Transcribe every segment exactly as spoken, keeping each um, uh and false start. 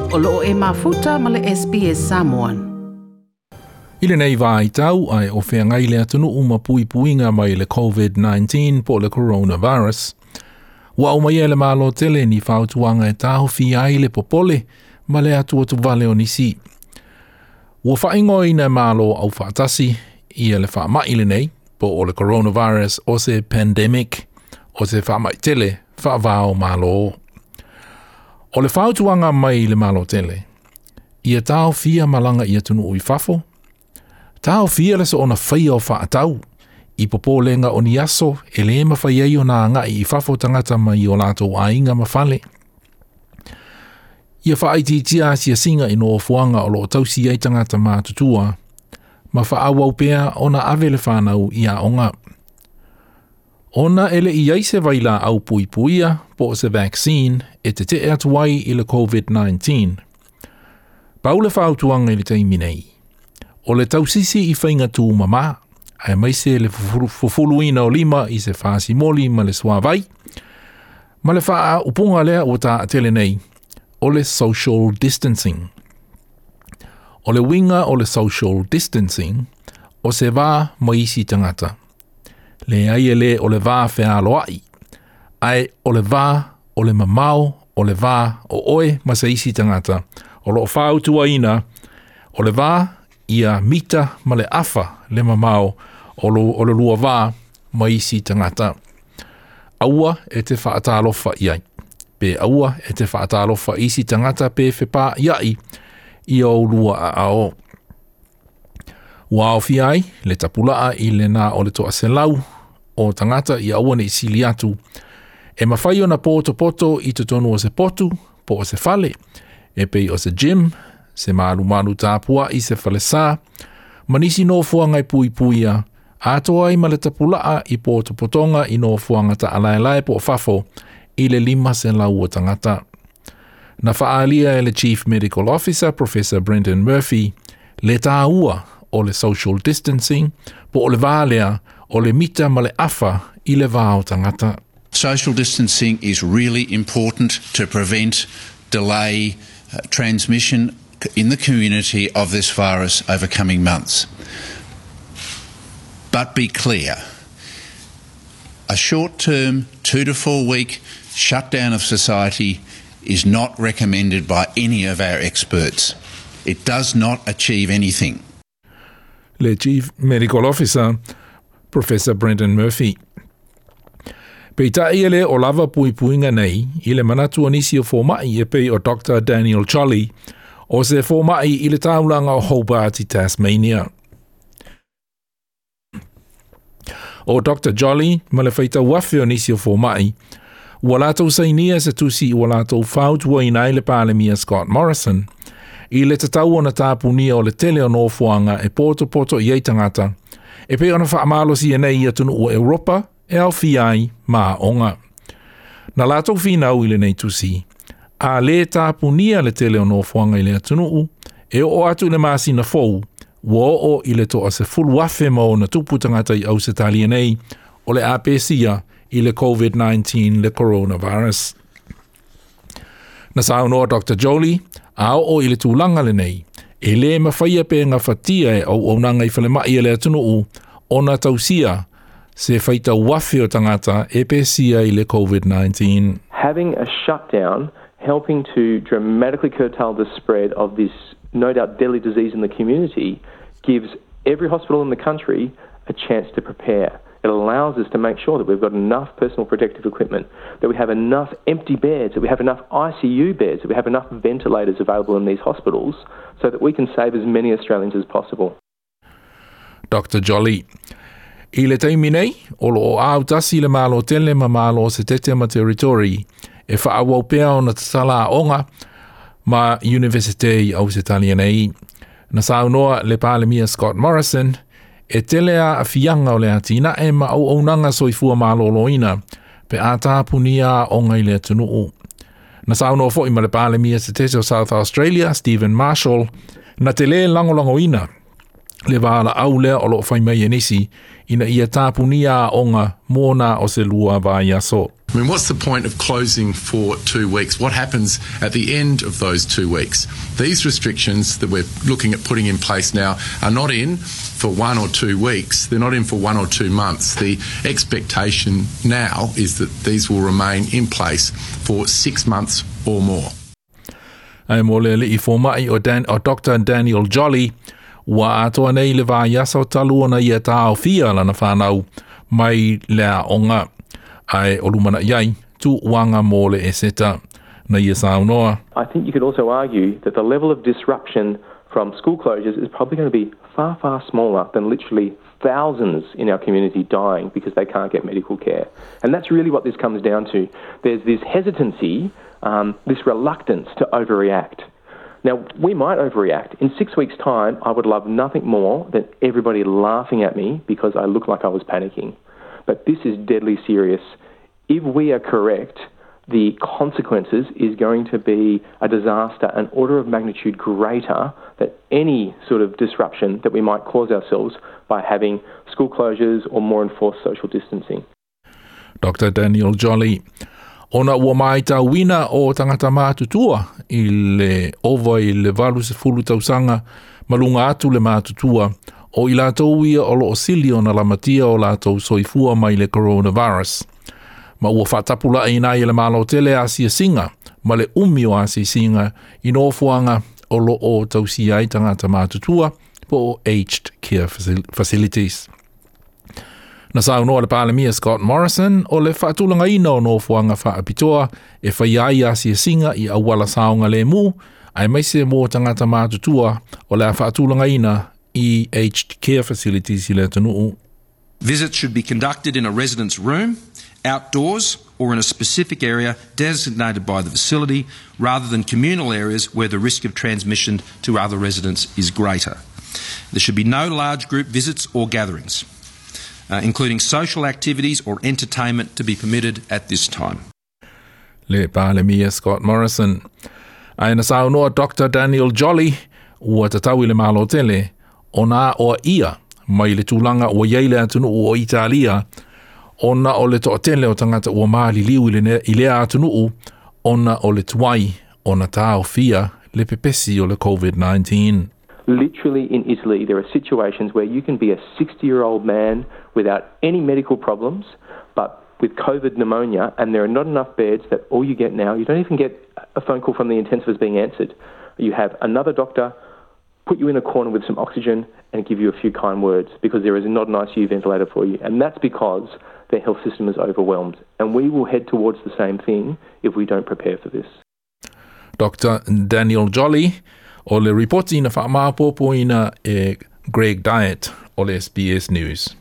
O loo e mafuta ma le S B S Samoan. I lenei vaitau ai o feagai le atunuu ma puipuiga mai le COVID nineteen po le coronavirus. Ua aumaia e le Malo tele ni fautuaga e taofia ai le popole ma le atuatuvale o nisi. Ua faaigoaina e Malo aufaatasi ia le faamai lenei po o le coronavirus o se pandemic o se faamai tele faavao Malo. O le fautuaga mai le Malo tele, ia taofia malaga i atunuu i fafo, taofia le soona faia o faatau, i popolega o ni aso e le mafai ai ona agai i fafo tagata mai o latou aiga ma fale. Ia faaitiitia asiasiga i nofoaga o loo tausi ai tagata matutua, ma faaauau pea ona ave le fanau i aoga. Ona e le i ai se vailaau puipuia po o se vaccine e tetee atu ai i le COVID nineteen. Pau le fautuaga i le taimi nei, o le tausisi i faiga tumamā, aemaise le fufuluina o lima i se fasimoli ma le suavai, ma le faaupuga lea ua taatele nei, o le social distancing. O le uiga o le social distancing, o se va ma isi tagata. Leai e le o le va fealoai, ae o le va o le mamao, o le va o oe ma se isi tagata. O loo fautuaina, o le va ia mita ma le afa le mamao o lo, o le lua va ma isi tagata. Aua e te faatalofa iai. Pe aua e te faatalofa isi tagata pe fepa iai i o lua a ao. Ua aofia ai le tapulaa i le na o le toaselau o tagata i aua nei sili atu e mafai ona potopoto i totonu o se potu po o se fale e pei o se gym, se malumalu tapua i se falesa, ma nisi nofoaga e puipuia, atoa ai ma le tapulaa i potopotoga i nofoaga taalaelae po o fafo i le lima selau o tagata. Na faalia e le Chief Medical Officer, Professor Brendan Murphy, le tāua o le social distancing po o le vā lea o le mita ma le afa i le vā o tagata. Social distancing is really important to prevent, delay, uh, transmission in the community of this virus over coming months. But be clear, a short-term two to four week shutdown of society is not recommended by any of our experts. It does not achieve anything. Le Chief Medical Officer, Professor Brendan Murphy. Peitai e le o lava puipuiga nei i le manatu o nisi o fomai e pei o Doctor Daniel Jolly o se fomai i le taulaga o Hobart i Tasmania. O Doctor Jolly ma le faitauafe o nisi o fomai ua latou sainia se tusi ua latou fautuaina ai le Palemia Scott Morrison i le tatau ona tapunia o le tele o nofoaga e potopoto i ai tagata e pei ona faamalosia nei i atunuu o Europa e aofia ai ma aoga. Na latou finau i lenei tusi, a le tapunia le tele o nofoaga i le atunuu, e oo atu i le masina fou, ua oo i le toasefulu afe ma ona tupu tagata i Ausetalia nei o le a pesia i le COVID nineteen le coronavirus. Na saunoa Doctor Jolie, a oo i le tulaga lenei, e le mafaia pe gafatia e auaunaga i falemai e le atunuu ona tausia se faitauafe o tagata e pesia i le COVID nineteen. Having a shutdown helping to dramatically curtail the spread of this no doubt deadly disease in the community gives every hospital in the country a chance to prepare. It allows us to make sure that we've got enough personal protective equipment, that we have enough empty beds, that we have enough I C U beds, that we have enough ventilators available in these hospitals so that we can save as many Australians as possible. Doctor Jolly. I le taimi nei, o loo autasi le Malo tele ma Malo se tete ma territory e faaauau pea ona tatala aoga ma Universite i Ausetalia nei. Na saunoa le Palemia Scott Morrison e tele a aafiaga o le atinae ma auaunaga soifua malōlōina pe a tapunia aoga i le atunuu. Na saunoa foi ma le Palemia se tete o South Australia, Stephen Marshall, na te lē lagolagoina Le valaau lea o loo fai mai e nisi ina ia tapunia aoga mo na o se lua vaiaso. I mean, what's the point of closing for two weeks? What happens at the end of those two weeks? These restrictions that we're looking at putting in place now are not in for one or two weeks. They're not in for one or two months. The expectation now is that these will remain in place for six months or more. Ae mo le alii fomai o, Dan, o Doctor Daniel Jolly, ua atoa nei le vaiaso talu ona ia taofia lana whanau mai le aoga. Ae o lumanai ai, tuuaga mo le eseta. Na ia saunoa. I think you could also argue that the level of disruption from school closures is probably going to be far, far smaller than literally thousands in our community dying because they can't get medical care. And that's really what this comes down to. There's this hesitancy, um, this reluctance to overreact. Now, we might overreact. In six weeks' time, I would love nothing more than everybody laughing at me because I look like I was panicking. But this is deadly serious. If we are correct, the consequences is going to be a disaster, an order of magnitude greater than any sort of disruption that we might cause ourselves by having school closures or more enforced social distancing. Doctor Daniel Jolly. Ona ua maitauina o tagata matutua i le ova i le valu sefulu tausaga ma luga atu le matutua o i latou ia o loo sili ona lamatia o latou soifua mai le coronavirus. Ma ua faatapulaaina ai e le Malo tele asiasiga ma le umi o asiasiga i nofoaga o loo tausia ai tagata matutua po o aged care facilities. Na saunoa le Palemia Scott Morrison o le faatulagaina o nofoaga faapitoa e faia ai asiasiga i auala saogalemu aemaise mo tagata matutua o le a faatulagaina i aged care facilities i le atunuu. Visits should be conducted in a resident's room, outdoors, or in a specific area designated by the facility, rather than communal areas where the risk of transmission to other residents is greater. There should be no large group visits or gatherings, uh, including social activities or entertainment, to be permitted at this time. Le Palemia Scott Morrison. Ae na saunoa Doctor Daniel Jolly ua tatau i le Malo tele ona oaia mai le tulaga ua iai le atunuu o Italia ona o le toatele o tagata ua maliliu i lea atunuu ona o le tuai ona taofia le pepesi o le COVID nineteen. Literally in Italy, there are situations where you can be a sixty-year-old man without any medical problems, but with COVID pneumonia, and there are not enough beds that all you get now, you don't even get a phone call from the intensivist being answered. You have another doctor put you in a corner with some oxygen and give you a few kind words because there is not an I C U ventilator for you. And that's because their health system is overwhelmed. And we will head towards the same thing if we don't prepare for this. Doctor Daniel Jolly o le ripoti na faamaopoopoina e Greg Dyett o le S B S News.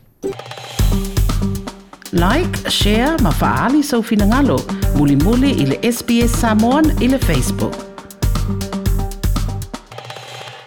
Like, share ma faali sau finagalo. Mulimuli i le S B S Samoan i le Facebook.